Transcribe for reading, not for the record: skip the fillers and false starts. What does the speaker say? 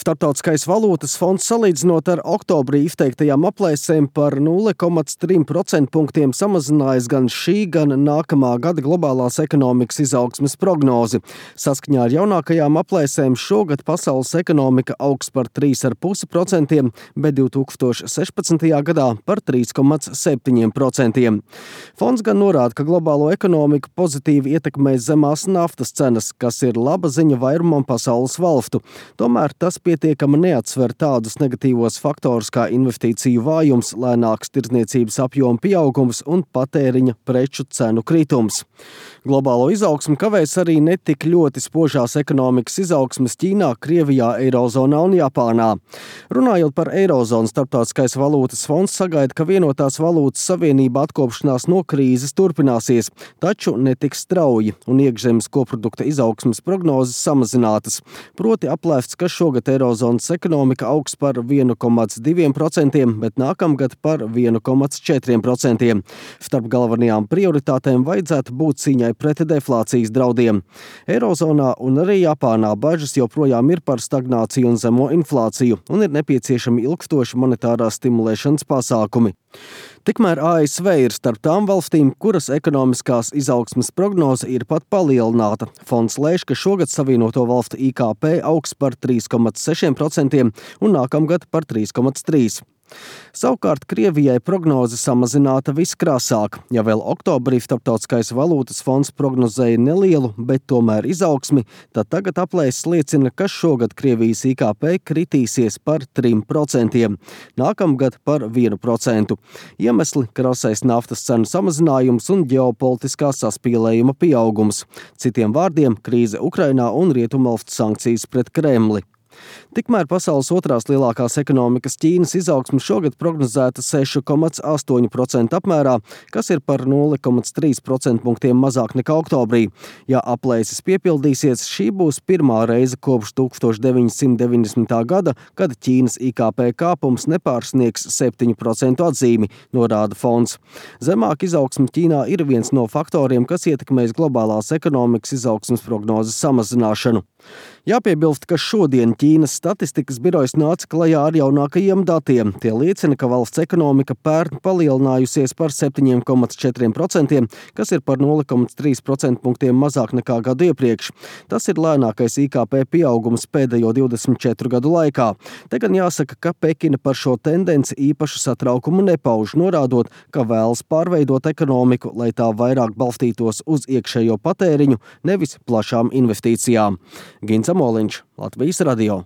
Starptautiskais valūtas fonds salīdzinot ar oktobrī izteiktajām aplēsēm par 0,3% punktiem samazinājis gan šī, gan nākamā gada globālās ekonomikas izaugsmes prognozi. Saskaņā ar jaunākajām aplēsēm šogad pasaules ekonomika augs par 3,5%, bet 2016. gadā par 3,7%. Fonds gan norāda, ka globālo ekonomiku pozitīvi ietekmēs zemās naftas cenas, kas ir laba ziņa vairumam pasaules valstu. Tomēr tas pietiekami neatsver tādus negatīvos faktorus kā investīciju vājums, lēnāks tirdzniecības apjoma pieaugums un patēriņa preču cenu kritums. Globālo izaugsmu kavēs arī netik ļoti spožās ekonomikas izaugsmes Ķīnā, Krievijā, Eirozonā un Japānā. Runājot par Eirozonu, Starptautiskais valūtas fonds sagaida, ka vienotās valūtas savienība atkopšanās no krīzes turpināsies, taču netiks strauji un iekšzemes koprodukta izaugsmes prognozes samazinātas. Proti aplēsts, ka šogad Eirozonas ekonomika augs par 1,2%, bet nākamgad par 1,4%. Starp galvenajām prioritātēm vajadzētu būt cīņai pret deflācijas draudiem. Eirozonā un arī Japānā bažas joprojām ir par stagnāciju un zemo inflāciju un ir nepieciešami ilgstoši monetārās stimulēšanas pasākumi. Tikmēr ASV ir starp tām valstīm, kuras ekonomiskās izaugsmes prognoze ir pat palielināta. Fonds lēš, ka šogad Savienoto valstu IKP augs par 3,6% un nākamgad par 3,3%. Savukārt Krievijai prognoze samazināta viskrāsāk. Ja vēl oktobrī Starptautiskais valūtas fonds prognozēja nelielu, bet tomēr izaugsmi, tad tagad aplēses liecina, ka šogad Krievijas IKP kritīsies par 3%, nākamgad par 1%. Iemesli – krasais naftas cenu samazinājums un ģeopolitiskā saspīlējuma pieaugums. Citiem vārdiem – krīze Ukrainā un rietumvalstu sankcijas pret Kremli. Tikmēr pasaules otrās lielākās ekonomikas Ķīnas izaugsme šogad prognozēta 6,8% apmērā, kas ir par 0,3% punktiem mazāk nekā oktobrī. Ja aplēses piepildīsies, šī būs pirmā reize kopš 1990. gada, kad Ķīnas IKP kāpums nepārsniegs 7% atzīmi, norāda fonds. Zemāk izaugsme Ķīnā ir viens no faktoriem, kas ietekmēs globālās ekonomikas izaugsmes prognozes samazināšanu. Jāpiebilst, ka šodien Ķīnas statistikas birojas nāca klajā ar jaunākajiem datiem. Tie liecina, ka valsts ekonomika pērn palielinājusies par 7,4%, kas ir par 0,3% punktiem mazāk nekā gadu iepriekš. Tas ir lēnākais IKP pieaugums pēdējo 24 gadu laikā. Te gan jāsaka, ka Pekina par šo tendenci īpašu satraukumu nepauž, norādot, ka vēlas pārveidot ekonomiku, lai tā vairāk balstītos uz iekšējo patēriņu, nevis plašām investīcijām. Gins Amoliņš, Latvijas radio.